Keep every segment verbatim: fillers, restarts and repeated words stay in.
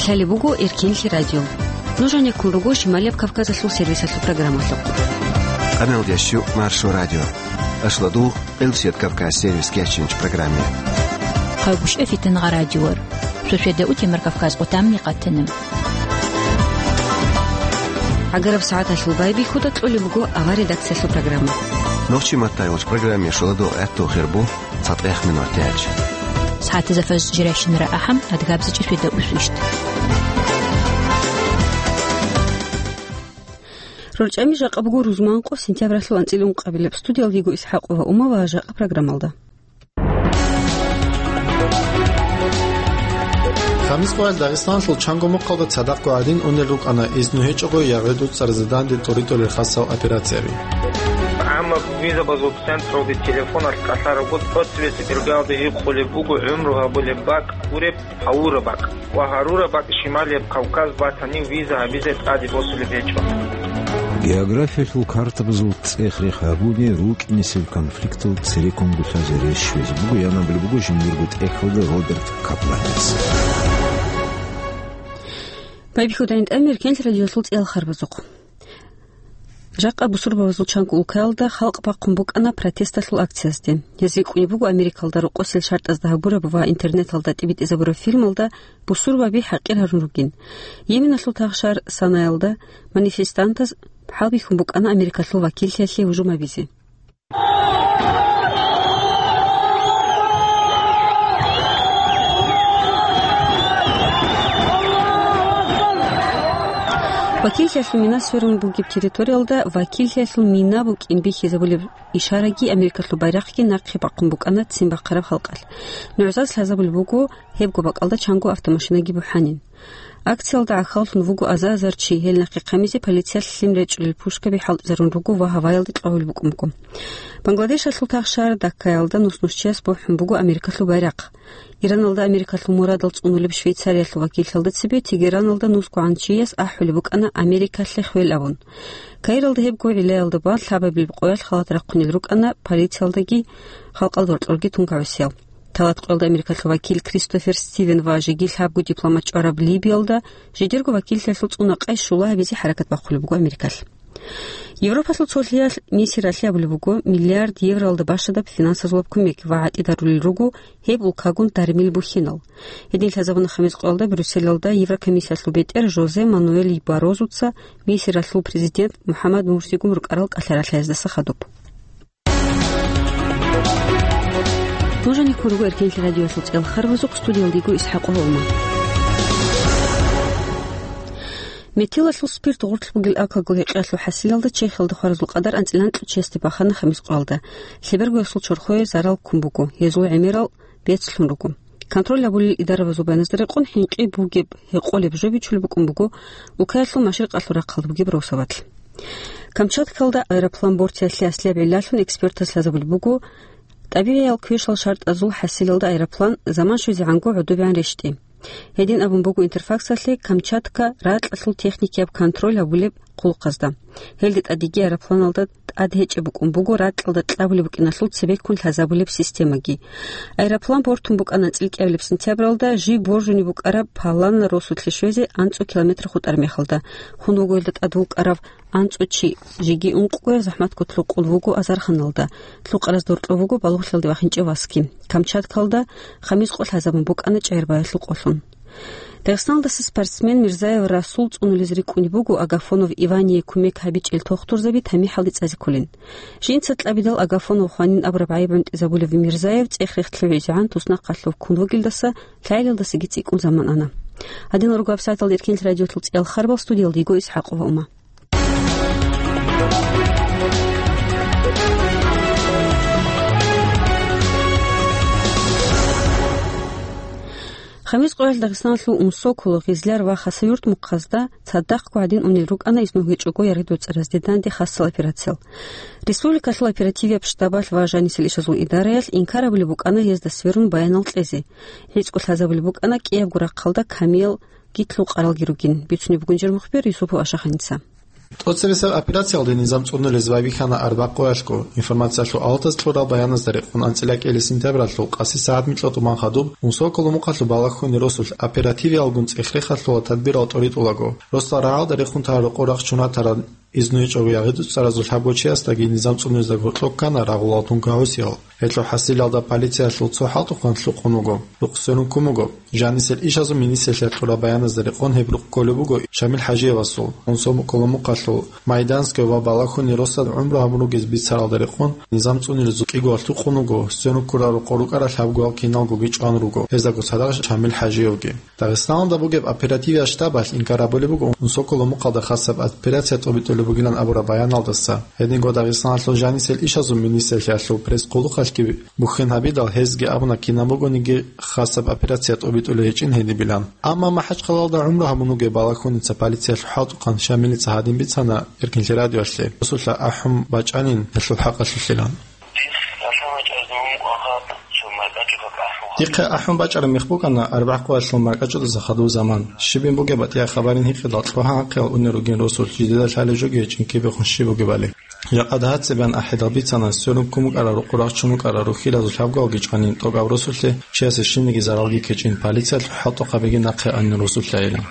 Лъалеб буго Эркенлъи радио. Нуж гьанеккун руго Шималияб Кавказалъул сервисалъул программалъухъ. Къаналдиясчу Маршо радио. Ашладу, Элсет Кавказ сервис кечинч программе. Хъайбушев Фитангъа радиор. Суседа у Темир Кавказ отамни къатана. ГӀагараб сагӀаталъул байбихьуда кьолеб буго авар редакциялъул программа. Нохчи маттайгъуч программе шуладу гӀатту хирбу. ЦатӀех минут тяч. СагӀатазда фаз жиращинара ахӀам, адгабзичӀи светаусу ишт. РорчӀами жакъа буго рузманкъо сентябралъул анцӀила ункъабилеб. Студиялдиго ИсхӀакъова Ума ва жакъа программалда. Хамис къоял Дагъистаналъул чанго мухъалда цадахъго гӀадин унел рукӀана изну гьечӀого ягӀуду цӀарзаданде тӀоритӀулел хасав операцияби. Амма визабазул централде телефоналъ кӀалъарабго, тӀоцебесеб иргаялда гьикъулеб буго гӀумру гьабулеб бакӀ гуреб гьавураб бакӀ ва гьарураб бакӀ Шималияб Кавказ батани виза гьабизе тӀаде босулеб гьечӀо. Географиялъул картабазул цӀех-рех гьабуни рукӀинесеб конфликтал цереккун гулъазе рещвезе буго, янабулеб буго жиндирго тӀехьалда Роберт Капланец. Байбихьудайин тӀамир кенлъи радиолъул цӀеял харбазухъ. Жакъа бусурбабазул чанго улкаялда халкъ бахъун букӀана протесталъул акциязде. Гьез рикӀкӀунеб буго Америкалда рокъосел шартӀазда гьабураб ва интернеталда тӀибитӀизабураб фильмалда бусурбаби хӀакъир гьарун ругин. Йеменалъул тагъшар Санаялда манифестантаз хӀалбихьун букӀана Америкалъул вакиллъиялъе гьужум гьабизе. Вакиллъиялъул мина сверун бугеб территориялда вакиллъиялъул мина букӀин бихьизабулеб ишараги Америкалъул байрахъги нахъе бахъун букӀана ццин бахъараб халкъалъ. НугӀзаз лъазабулеб буго гьебго бакӀалда чанго автомашинаги бухӀанин. Акциялда гӀахьаллъун вуго аза-азар чи, гьел нахъе хъамизе полициялъ лъим речӀчӀулел пушкаби хӀалтӀизарун руго ва гьаваялде кьогьул букӀун буго. Бангладешалъул тагъшар Даккаялда нус-нус чияс бухӀун буго Америкалъул байрахъ. Ираналда Америкалъул мурадал цӀунулеб Швейцариялъул вакиллъиялда цебе Тегераналда нусгогӀан чияс ахӀулеб букӀана Америкалъе хвел абун. Каиралда гьебго гӀиллаялда бан лъабабилеб къоялъ халат рахъунел рукӀана полициялдаги халкъалда гьоркьорги тунгагӀусиял. Талат къоялда Америкалъул вакил Кристофер Стивен ва жеги лъабго дипломат чӀвараб Либиялда жидерго вакиллъиялъул цӀуна-къай щула гьабизе хӀаракат бахъулеб буго Америкалъ. Европалъул цолъиялъ Мисиралъе абулеб буго миллиард евроялда бащадаб финансазулаб кумек ва гӀатӀидарулел руго гьеб улкагун дармил бухьинал. Гьедин лъазабуна хамис къоялда Брюсселалда Еврокомиссиялъул бетӀер Жозе Мануэль Баррозуца Мисиралъул президент МухӀаммад Мурсигун рукӀарал кӀалъаралъаздаса хадуб. Нуж гьанеккун руго Эркенлъи радиоялъул цӀеял харбазухъ, студиялдего ИсхӀакъ Гьолман. Метилалъул спирт гъорлъ бугел алкогол гьекъеялъул хӀасилалда Чехиялда хваразул къадар анцӀила анкьго чиясде бахана хамис къоялда. Лъебергоясул чорхое зарал ккун буго, гьезул гӀемерал бецлъун руго. Контроль гьабулел идарабазул баяназда рекъон, хӀинкъи бугеб гьекъолеб жо бичулеб букӀун буго улкаялъул машрикъалъул рахъалда бугеб Росоватлъ. Камчаткалда аэроплан бортиялъе аслияб гӀиллалъун экспертаз лъазабулеб буго, тӀабигӀиял квешал шартӀазул хӀасилалда аэроплан заман щвезегӀанго гӀодобегӀан рещтӀи. Гьедин абун буго Интерфаксалъе Камчатка ракьалъул техникияб контроль гьабулеб хъулухъазда. Гьелде тӀадеги аэропланалда тӀад гьечӀеб букӀун буго ракьалда кьабулеб букӀиналъул цебеккун лъазабулеб системаги. Аэроплан бортун букӀана анцӀила кӀиабилеб сентябралда, жиб боржунеб букӀараб Паланна росулъе щвезе анцӀго километр хутӀараб мехалда. Хун вуго гьелда тӀад вукӀарав анцӀго чи, жеги ункъго захӀматккун лъукъун вуго азарханалда, лъукъаразда гьоркьоб вуго балугълъиялде вахинчӀев васги. Камчаткалда хамис къо лъазабун букӀана чӀегӀербаялъул къолъун. Дагъистаналдаса спортсмен Мирзаев Расул цӀунулез рикӀкӀунеб буго Агафонов Ивание кумек гьабичӀел тухтурзаби тамихӀалде цӀазе кколин. Жинца кьабидал Агафонов хванин абураб гӀайиб гӀунтӀизабулев Мирзаев цӀех-рехлъи гӀезегӀан туснахъалъув ккун вугелдаса лъагӀелалдасаги цӀикӀкӀун заман ана. Гьадинал руго гьабсагӀаталда Эркенлъи радиолъул цӀеял харбал, студиялда йиго ИсхӀакъова Ума. Хамис къоялъ Дагъистаналъул Умсоколо, Гъизляр ва Хасавюрт мухъазда цадахъго гӀадин унел рукӀана изну гьечӀого яргъидул цӀаразде данде хасал операциял. Республикалъул оперативияб штабалъ ва жанисел ишазул идараялъ инкар гьабулеб букӀана гьезда сверун баянал кьезе. ГӀицӀго лъазабулеб букӀана кӀиябго рахъалда камиял гитлъул къаралги ругин, бицунеб бугин жер мухбир Юсупов Ашаханица. ТӀоцебесеб операциялде низам цӀунулез байбихьана арбякъуялъго. Информациялъул алатаз кьурал баяназда рекъон анцӀила кӀиялъ сентябралъул къаси сагӀат микьа тӀубан хадуб Унсоколо мухъалъул балагьуни росулъ оперативиялгун цӀех-рехалъула тадбирал тӀоритӀулаго. Росдал рагӀалда рехун тарал рокъор рахчун ратарал изну гьечӀого ягъи-дуцӀаразул лъабго чиясдаги низам цӀунезда гьоркьоб ккана рагъулал тункагӀусиял. Гьелъул хӀасилалда полициялъул цо хӀалтӀухъан лъукъун вуго, рукъ сверун ккун буго. Жанисел ишазул министрлъиялъ кьураб баяназда рекъон гьеб рукъ кколеб буго Шамил ХӀажиевасул, Унсоколо мухъалъул Майданское ва Балахьуни росдал гӀумру гьабун ругез бицаралда рекъон низам цӀунилезул кӀиго лъукъун вуго, сверун ккурал рокъор рукӀарал лъабгоял киналгоги чӀван руго, гьездагоцадаго Шамил ХӀажиевги. Дагъистаналда бугеб оперативияб штабалъ инкар гьабулеб буго Унсоколо мухъалда хасаб операция тӀобитӀулеб бугилан абураб баяналдаса. Гьединго Дагъистаналъул жанисел ишазул министрлъиялъул пресс-хъулухъалъги бухьен гьабидал, гьезги абуна кинаб бугониги хасаб операция тӀобитӀулей гьечӀин гьедибилан. Амма МахӀачхъалалда гӀумру гьабун вугев балагьуница полициялъул хӀалтӀухъан Шамилица гьадин бицана Эркинлъи радиоялъе, росулъа ахӀун бачӀанин гьелъул хӀакъалъулъилан. Дихъе ахӀун бачӀараб мех букӀана арбякъуялъул маркӀачӀудаса хадув заман. Щибин бугеб батӀияб хабарин гьикъидал, лъугьа-гьахъиял унел ругин росулъ, жидедал лъалеб жоги гьечӀин кибехун щиб бугебали. Жакъа дагьа цебеян ахӀидал бицана, сверун ккун букӀарал рукъ рахчун букӀарал рухьилазул лъабгоялги чӀванин, тӀокӀаб росулъе чиясе щибниги заралги ккечӀин, полициялъул хӀалтӀухъабиги нахъе анин росулъайилан.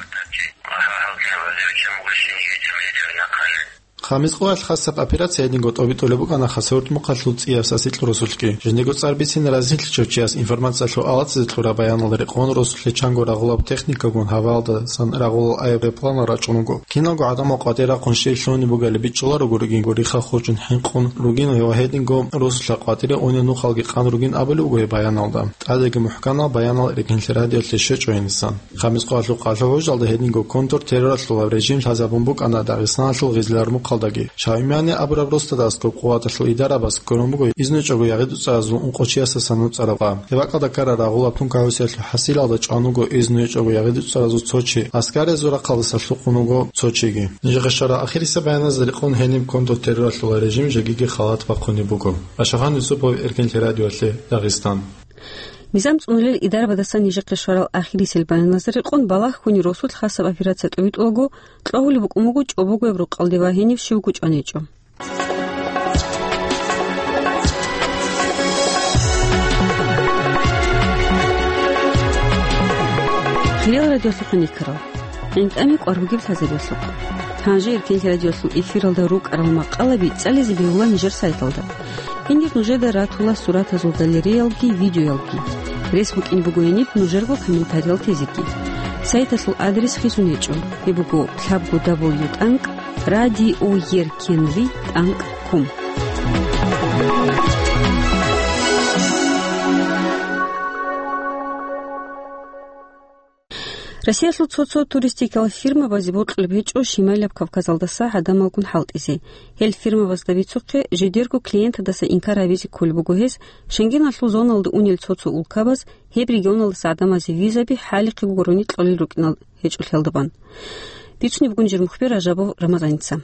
Хамис къоялъ хасаб операция гьединго тӀобитӀулеб букӀана Хасавюртмухъалъул ЦӀияб Сасикь росулъги. Жиндего цӀар бицин разилъичав чияс информациялъул алатазе кьураб баяналда рекъон росулъе чанго рагъулаб техникагун гьаваялдасан рагъулал аэропланал рачӀун вуго. Киналго гӀадамал къватӀире рахъун щиб лъугьунеб бугали бичӀчӀуларо гуригин, гурихъа хурчӀун хӀинкъун ругин ва гьединго росулъа къватӀире унел нухалги къан ругин абулеб буго гьеб баяналда. ТӀадеги мухӀканал баянал Эркинлъи радиоялъе щвечӀо гьенисан. Хамис къоялъул къалъул гӀужалда гьединго контртерроралъула режим лъазабун букӀана Дагъистаналъул Гъизлармухъалдаги. Шаумяне абураб росдада аскӀоб къуваталъул идарабаз кколеб буго изну гьечӀого ягъи-дуцӀаразул ункъо чиясдасан нуцӀараб къа. Гьеб бакӀалда ккарал рагъулаб тункагӀусиялъул хӀасилалда чӀван вуго изну гьечӀого ягъи-дуцӀаразул цо чи, аскариязул рахъалдаса лъукъун вуго цо чиги. Нижехъе щварал ахирисеб баяназда рекъон гьениб контртерроралъула режим жегиги халат бахъунеб буго. Ашагъан Юсупов, Эркинлъи радиоялъе, Дагъистан. Низам цӀунулел идарабаздасан нижехъе щварал ахирисел баяназда рекъон балагьуни росулъ хасаб операция тӀобитӀулаго кьогьулеб букӀун буго чӀобогояб рукъалде ва гьениб щибго чӀван гьечӀо. Хириял радиолъухъ никарал. ГӀинтӀами кӀвар бугеб лъазабиялъухъ. Гьанже Эркинлъи радиоялъул эфиралда рукӀарал макъалаби цӀализе бегьула нижер сайталда. Гьенир нужеда ратула суратазул галереялги видеоялги. Рес букӀин буго гьениб нужерго комментариял тезеги. Сайталъул адрес хисун гьечӀо. Гьеб буго лъабго дабл ю тӀанкӀ радиоеркинлъи тӀанкӀ ком. Россиялъул цо-цо туристикал фирмабазе бокьулеб гьечӀо Шималияб Кавказалдаса гӀадамалгун хӀалтӀизе. Гьел фирмабазда бицухъе, жидерго клиентадаса инкар гьабизе кколеб буго гьез, Шенгеналъул зоналда унел цо-цо улкабаз гьеб регионалдаса гӀадамазе визаби хӀалихъе гурони кьолел рукӀинал гьечӀолъиялда бан. Бицунеб бугин жер мухбер Ражабов Рамазаница.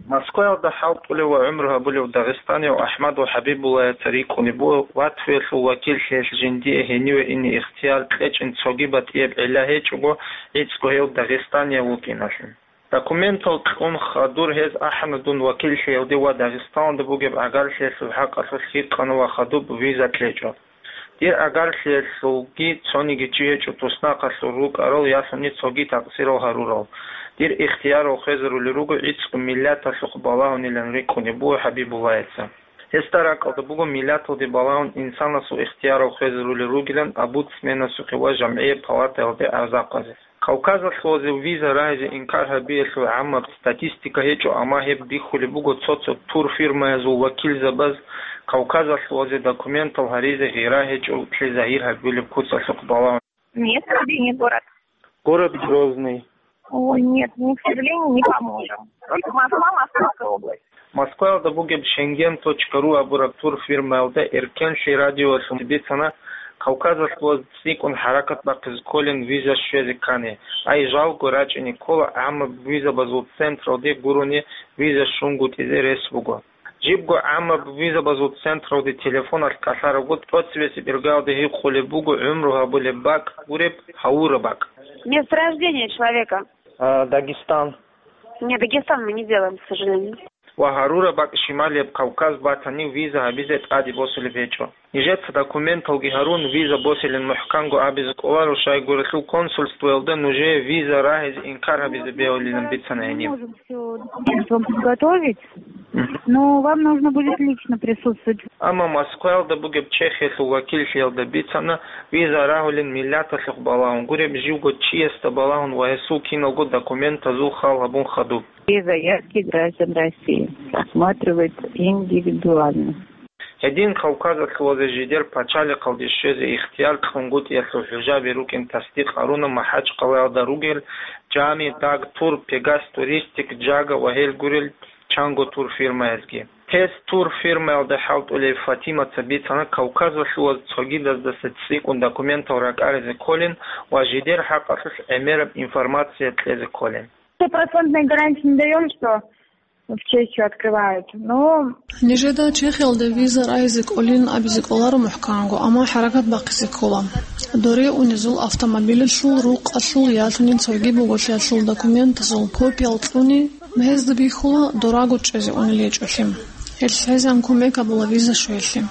Москваялда хӀалтӀулев ва гӀумру гьабулев дагъистанияв АхӀмадов ХӀабибуллаяца рикӀкӀунеб буго Латвиялъул вакиллъиялъ жиндие гьениве ине ихтияр кьечӀин цоги батӀияб гӀилла гьечӀого, гӀицӀго гьев дагъистанияв вукӀиналъе. Документал кьун хадур гьез ахӀана дун вакиллъиялде ва Дагъистаналда бугеб гӀагарлъиялъул хӀакъалъулъ гьикъана ва хадуб виза кьечӀо. Дир гӀагарлъиялъулги цониги чи гьечӀо туснахъалъур рукӀарал ялъуни цоги такъсирал гьарурал. Дир ихтиярал хвезарули руго гӀицӀго миллаталъухъ балагьунилан рикӀкӀунеб буго ХӀабибуллаяца. Гьесда ракӀалда буго миллаталде балагьун инсанасул ихтиярал хвезарули ругилан омбудсменасухъе ва жамгӀияб палатаялде гӀазакъазе. Кавказалъулазе виза рагьизе инкар гьабиялъул гӀаммаб статистика гьечӀо, амма гьеб бихьулеб буго цо-цо турфирмаязул вакилзабаз Кавказалъулазе документал гьаризе гъира гьечӀолъи загьир гьабулеб куцалъухъ балагьун. Место рождения город. Город Грозный. Ой, нет, мы, к сожалению, не поможем. Только Москва, Московская область. Москваялда бугеб Шенген точка ру абураб турфирмаялда Эркенлъи радиоялъ бицана, Кавказалъулаз цӀикӀкӀун хӀаракат бахъизе кколин виза щвезе ккани, ай жалго рачӀине ккола, гӀаммаб визабазул централде гурони виза щунгутӀизе рес буго. Жибго гӀаммаб визабазул централде телефоналъ кӀалъарабго, тӀоцебесеб иргаялда гьикъулеб буго гӀумру гьабулеб бакӀ гуреб, гьавураб бакӀ. Место рождения человека. А, Дагестан. Не, Дагестан мы не делаем, к сожалению. Ва гьарураб бакӀ Шималияб Кавказ батани, виза гьабизе тӀаде босулеб гьечӀо. Нижеца документалги гьарун, виза босилин мухӀканго абизе кӀоларо, щайгурелъул консульствоялда нужее виза рагьизе инкар гьабизе бегьулилан бицана гьениб. Можем всё документы вам подготовить, Мгм. но вам нужно будет лично присутствовать. Амма Москваялда бугеб Чехиялъул вакиллъиялда бицана, виза рагьулин миллаталъухъ балагьун гуреб, живго чиясда балагьун ва гьесул киналго документазул хал гьабун хадуб. Все заявки граждан России рассматривают индивидуально. Гьедин Кавказалъулазе жидер пачалихъалде щвезе ихтияр кьунгутӀиялъул хӀужаби рукӀин тасдикъ гьаруна МахӀачкъалаялда ругел Жами, Даг Тур, Пегас Туристик, Жага ва гьел гурел чанго турфирмаязги. Тест турфирмаялда хӀалтӀулев Фатимаца бицана, Кавказалъулаз цогидаздаса цӀикӀкӀун документал ракӀаризе кколин ва жидер хӀакъалъулъ гӀемераб информация кьезе кколин. Стопроцентной гарантии не даём, что в Чехию открывают, но Нижеда Чехиялда виза рагьизе кӀолин абизе кӀоларо мухӀканго, амма хӀаракат бахъизе ккола. Доре унезул автомобилалъул рукъалъул ялъунин цоги буголъиялъул документазул копиял кьуни, гьезда бихьула дораго чӀезе унел гьечӀолъи. Гьелъ гьезан кумек гьабула виза щвеялъе.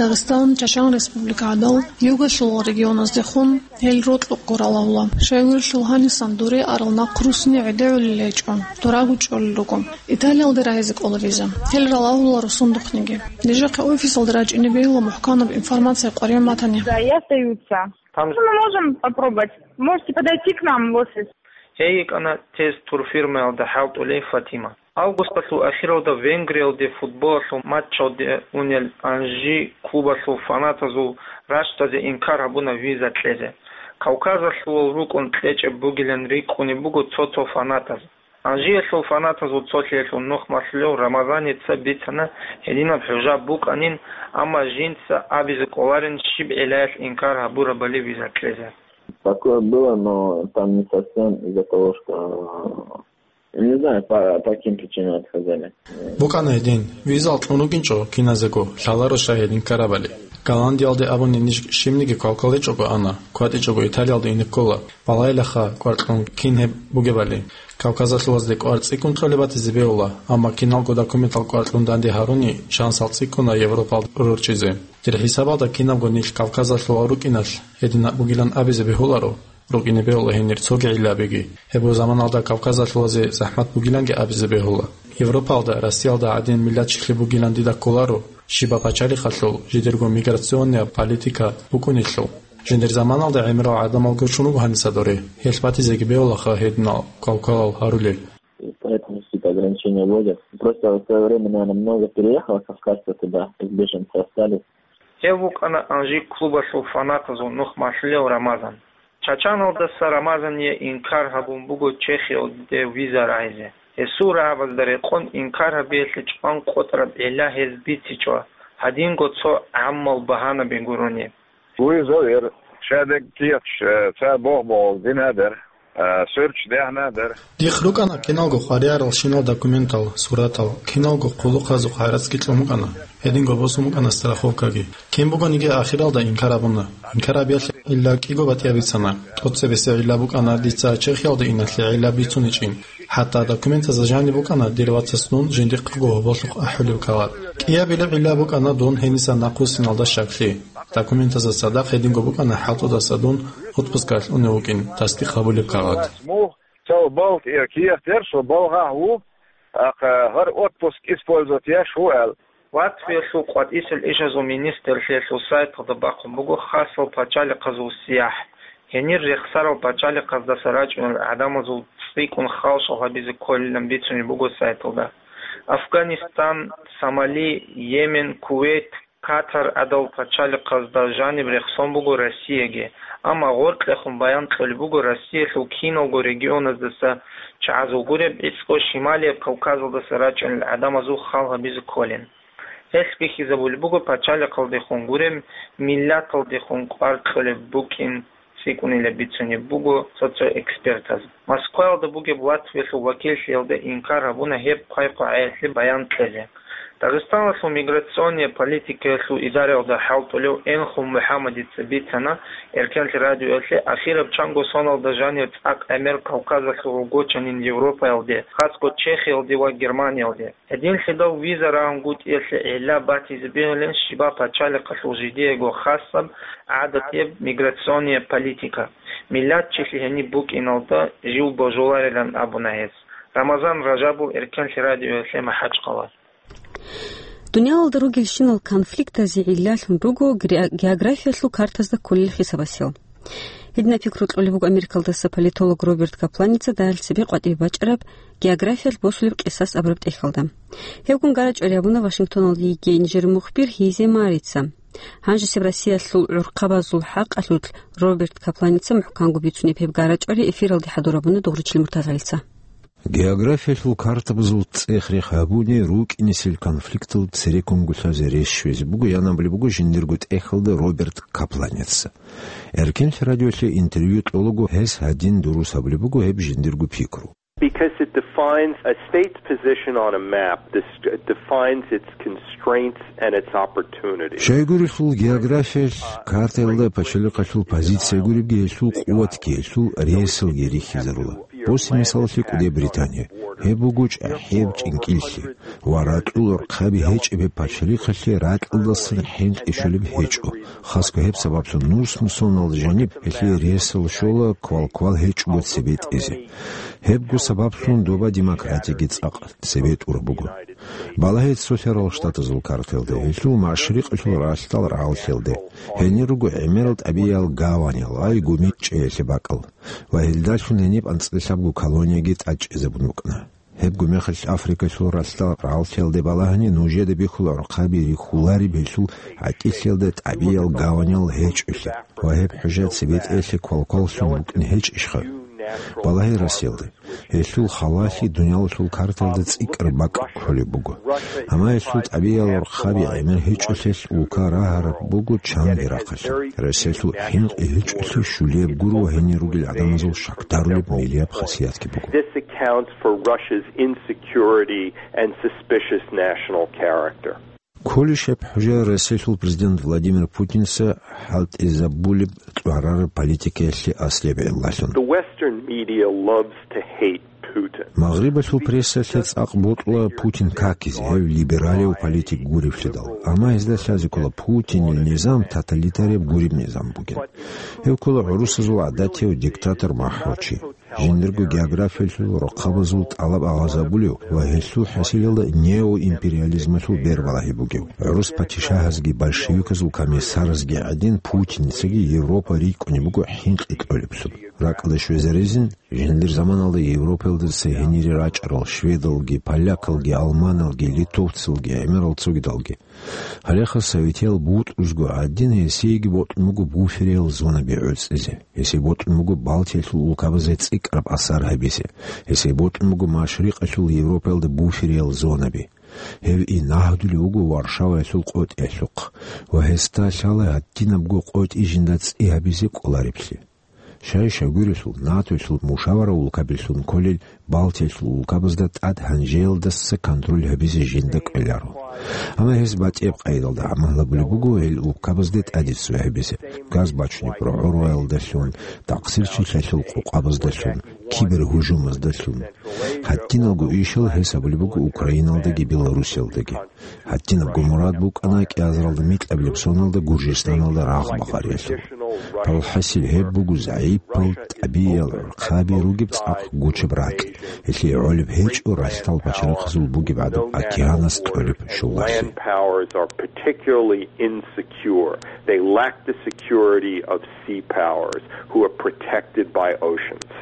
Дагъистан, Чачан Республика гӀадал, югалъул регионаздехун гьел рокьукъго ралагьула. Щайгурелъул гьанисан дуре арал нахъ руссине гӀедегӀулел гьечӀо, дораго чӀолел руго. Италиялде рагьизе кӀола виза. Гьел ралагьула росундухъниги. Нижехъе офисалда рачӀине бегьула мухӀканаб информация къваригӀун батани. Да, и остаются. Там же Мы можем попробовать. Можете подойти к нам в офис. Гьей йикӀана тест турфирмаялда хӀалтӀулей Фатима. Августалъул ахиралда Венгриялде футболалъул матчалде унел Анжи клубалъул фанатазул рачӀазе инкар гьабуна виза кьезе. Кавказалъулал рукӀун кьечӀеб бугилан рикӀкӀунеб буго цо-цо фанатаз. Анжиялъул фанатазул цолъиялъул нух малъулев Рамазаница бицана, гьединаб хӀужаб букӀанин, амма жинца абизе кӀоларин щиб гӀиллаялъ инкар гьабурабали виза кьезе. Такое было, но там не совсем из-за того, что, не знаю, по, по каким причинам отказали. БукӀана гьедин, визал кьун рукӀинчӀо киназего, лъаларо щай гьедин ккарабали. Голландиялде абуни ниж щибниги квалкваличӀого ана, кватӀичӀого Италиялде ине ккола, балайилаха кӀвар кьун кин гьеб бугебали. Кавказалъулазде кӀвар цӀикӀкӀун кьолеб батизе бегьула, амма киналго документал кӀвар кьун данде гьаруни шансал цӀикӀкӀуна Европалде рорчӀизе. Дир хӀисабалда кинабго нилъ Кавказалъула рукӀиналъ гьединаб бугилан абизе бегьуларо. РукӀине бегьула гьенир цоги гӀиллабиги. Гьеб заманалда Кавказалъулазе захӀмат бугиланги абизе бегьула. Европалда, Россиялда гӀадин миллатчилъи бугилан дида кколаро, щибаб пачалихъалъул жидерго миграционная политика букӀунелъул. Жиндир заманалда гӀемерал гӀадамал гучун руго гьаниса доре. Гьелъ батизеги бегьулаха гьединал квалквалал гьарулел. И поэтому какие-то ограничения вводят. Просто в свое время, наверное, много переехало кавказцев туда, как беженцы остались. Гьев вукӀана Анжи клубалъул фанатазул нух малъулев Рамазан. Чачаналдаса Рамазание инкар гьабун буго Чехиялде виза рагьизе. Гьесул рагӀабазда рекъон инкар гьабиялъе чӀван къотӀараб гӀилла гьез бицичӀо, гьадинго цо гӀаммал багьанаби гурони. Визовер, шадек кияч, э, ца богъ-богъ динадер, э, сверч дягьнадер. Дихъ рукӀана киналго хвариарал щинал документал, суратал, киналго хъулухъазухъ гӀарацги кьун букӀана, гьединго босун букӀана страховкаги. Кин бугониги ахиралда инкар абуна. Инкар абиялъе илла кӀиго батӀияб бицана. ТӀоцебесеб гӀилла букӀана дица Чехиялде иналъе гӀилла бицуничӀин. ХӀатта документазда жаниб букӀана дир вацасдун жиндихъего гьоболлъухъ ахӀулеб кагъат. КӀиабилеб гӀилла букӀана дун гьениса нахъвуссиналда щаклъи. Документазда цадахъ гьединго букӀана хӀалтӀудаса дун отпускалъ унев вукӀин тасдикъ гьабулеб кагъат. Цо балкӀ я киятер, цо балгьагь ву, ахъ, гьар отпуск использовать яш вугӀал. Латвиялъул къватӀисел ишазул министрлъиялъул сайталда бахъун буго хасал пачалихъазул сияхӀ. Гьенир рехсарал пачалихъаздаса рачӀунел гӀадамазул цӀикӀкӀун халшал гьабизе кколилан бицунеб буго сайталда. Афганистан, Сомали, Йемен, Кувейт, Катар гӀадал пачалихъазда жаниб рехсон буго Россияги, амма гъоркьехун баян кьолеб буго Россиялъул киналго регионаздаса чагӀазул гуреб гӀицӀго Шималияб Кавказалдаса рачӀунел гӀадамазул хал гьабизе кколин. Гьелъ бихьизабулеб буго пачалихъалдехун гуреб, миллаталдехун кӀвар кьолеб букӀин цӀикӀкӀунилан бицунеб буго цо-цо экспертаз. Москваялда бугеб Латвиялъул вакиллъиялда инкар гьабуна гьеб хъвай-къвагӀаялъе баян кьезе. Дагъистаналъул миграционная политикаялъул идараялда хӀалтӀулев Энхун МухӀаммадица бицана Эркенлъи радиоялъе, ахираб чанго соналда жанир цӀакъ гӀемер Кавказалъул гъугочанин Европаялде, хасго Чехиялде ва Германиялде. Гьединлъидал виза рагӀунгутӀиялъе гӀилла батизе бегьулин щибаб пачалихъалъул жидеего хасаб гӀадатияб миграционная политика, миллатчилъи гьениб букӀиналда жив божуларилан абуна гьес. Рамазан Ражабов, Эркенлъи радиоялъе МахӀачхъала. Дуниялалда ругелщинал конфликтазе гӀиллалъун руго гре-, географиялъул картазда кколел хисабасел. Гьединаб пикру кьолеб буго Америкалдаса политолог Роберт Капланица дагьал цебе къватӀибе бачӀараб географиялъ босулеб къисас абураб тӀехьалда. Гьебгун гарачӀвари гьабуна Вашингтоналда йигей нижер мухбир Гьизе Марица. Гьанжесеб Россиялъул гӀурхъабазул хӀакъалъулъ Роберт Капланица мухӀканго бицунеб гьеб гарачӀвари эфиралде хӀадурабуна Дугъричил Муртазалица. Географиялъул картабазул цӀех-рех гьабуни рукӀинесел конфликтал цереккунго лъазе рес щвезе буго, ян абулеб буго жиндирго тӀехьалда Роберт Капланица. Эркенлъи радиоялъе интервью кьолаго гьес гьадин дурус абулеб буго гьеб жиндирго пикру. Because it defines a state's position on a map, dis-, it defines its constraints and its opportunities. Щайгурелъул географиялъ картаялда пачалихъалъул позиция гуребги, гьелъул къуватги, гьелъул ресалги рихьизарула. Босе мисалалъе кӀуде Британия. Гьеб буго чӀахӀияб чӀинкӀиллъи ва ракьул гӀурхъаби гьечӀеб гьеб пачалихъалъе ракьалдасан хӀинкъи щолеб гьечӀо. Хасго гьеб сабаблъун нус-нусоналда жаниб гьелъие ресал щола квал-квал гьечӀого цебетӀезе. Гьебго сабаблъун доба демократиги цӀакъ цебетӀураб буго. Балагье Цолъарал Штатазул картаялда, гьелъул машрикъалъул ралъдал рагъалъиялда. Гьенир руго гӀемерал тӀабигӀиял гаванял, ай, гумичӀчӀиялъе бакӀал. Ва гьелдалъун гьениб анцӀила лъабго колонияги тӀадчӀезабун букӀана. Гьебго мехалъ Африкалъул ралъдал рагъалъиялде балагьани, нужеда бихьула гӀурхъаби рихьулареб гьелъул гӀатӀилъиялда тӀабигӀиял гаванял гьечӀолъи ва гьеб хӀужа цебетӀеялъе квалкваллъун букӀин гьечӀищха? Балагье Россиялда. Гьелъул халалъи дуниялалъул картаялда цӀикӀкӀараб бакӀ кколеб буго. Амма гьелъул тӀабигӀиял гӀурхъаби гӀемер гьечӀолъиялъ улка рагьараб буго чанги рахъалъе. Россиялъул хӀинкъи гьечӀолъи щулияб гуро ва гьенир ругел гӀадамазул щакдарулеб милияб хасиятги буго. This accounts for Russia's insecurity and suspicious national character. Кколищ гьеб хӀужа Россиялъул президент Владимир Путинца хӀалтӀизабулеб кьварараб политикаялъе аслияб гӀиллалъун? The Western media loves to hate Putin. Магърибалъул прессалъе цӀакъ бокьула Путин какизе, гьев либералияв политик гуревлъидал. Амма гьезда лъазе ккола Путинил низам тоталитарияб гуреб низам бугин. Гьев ккола гӀурусазул гӀадатияв диктатор махӀручи. Жиндирго географиялъул рохъабазул тӀалаб агъазабулев ва гьелъул хӀасилалда неоимпериализмалъул бербалагьи бугев. ГӀурус патишагьазги большевиказул комиссаразги гӀадин, Путиницаги Европа рикӀкӀунеб буго хӀинкъи кьолеблъун. РакӀалде щвезарезин, жиндир заманалда Европаялдаса гьенире рачӀарал шведалги, полякалги, алманалги, литовцалги, гӀемерал цогидалги. Гьалеха советиял бутӀрузго гӀадин, гьесиеги бокьун буго буфериял зонаби гӀуцӀизе. Гьесие бокьун буго Балтиялъул улкабазе цӀикӀкӀараб асар гьабизе. Гьесие бокьун буго Машрикъалъул Европаялда буфериял зонаби. Гьев инагьдулев вуго Варшаваялъул къотӀиялъухъ ва гьесда лъала гьадинабго къотӀи жинда цӀи гьабизе кӀолареблъи. Щай-щай гурелъул, НАТОялъул мушавара улкабилъун кколел Балтиялъул улкабазда тӀад гьанжеялдаса контроль гьабизе жинда кӀвеларо. Амма гьес батӀияб къайдалда гӀамал гьабулеб буго гьел улкабазде тӀаде цӀуй гьабизе, газ бачунеб рогӀо-роялдалъун, тахъсирчилъиялъул къокъабаздалъун, кибергьужумаздалъун. Гьадиналго ишал гьес гьабулеб буго Украиналдаги Белоруссиялдаги. Гьадинабго мурад букӀана кӀиазаралда микьабилеб соналда Гуржистаналда рагъ багъариялъул. Алхасил, гьеб буго загӀипал тӀабигӀиял гӀурхъаби ругеб цӀакъ гучеб ракь, гьелъие гӀолеб гьечӀо ралъдал пачалихъазул бугеб гӀадаб океанас кьолеб щулалъи. Land powers are particularly insecure. They lack the security of sea powers who are protected by oceans.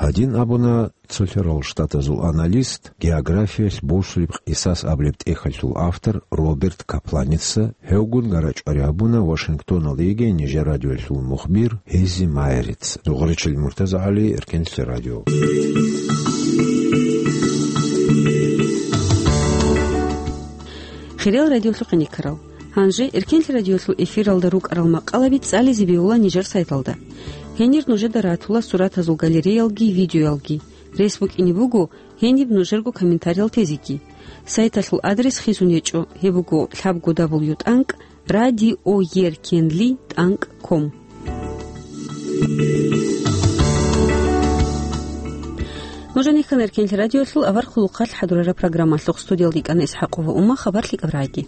Гьадин абуна Цолъарал Штатазул аналист, географиялъ босулеб къисас абулеб тӀехьалъул автор Роберт Капланица, гьевгун гарачӀвари гьабуна Вашингтоналда йигей нижер радиоялъул мухбир Гьизи Майерица. Дугъричил Муртазагьали, Эркенлъи радио. Хириял радиолъухъ гӀенеккарал. Гьанже Эркенлъи радиолъул эфиралда рукӀарал макъалаби цӀализе бегьула нижер сайталда. Гьенир нужеда ратула суратазул галереялги видеоялги. Рес букӀине буго гьениб нужерго комментариял тезеги. Сайталъул адрес хисун гьечӀо, гьеб буго лъабго дабл ю тӀанкӀ радиоеркенли тӀанкӀ ком. Нуж гьанихьана Эркенлъи радиоялъул авар хъулухъалъ хӀадурараб программалъухъ. Студиялда йикӀана ИсхӀакъова Ума. Хабар лъикӀаб рагӀиги.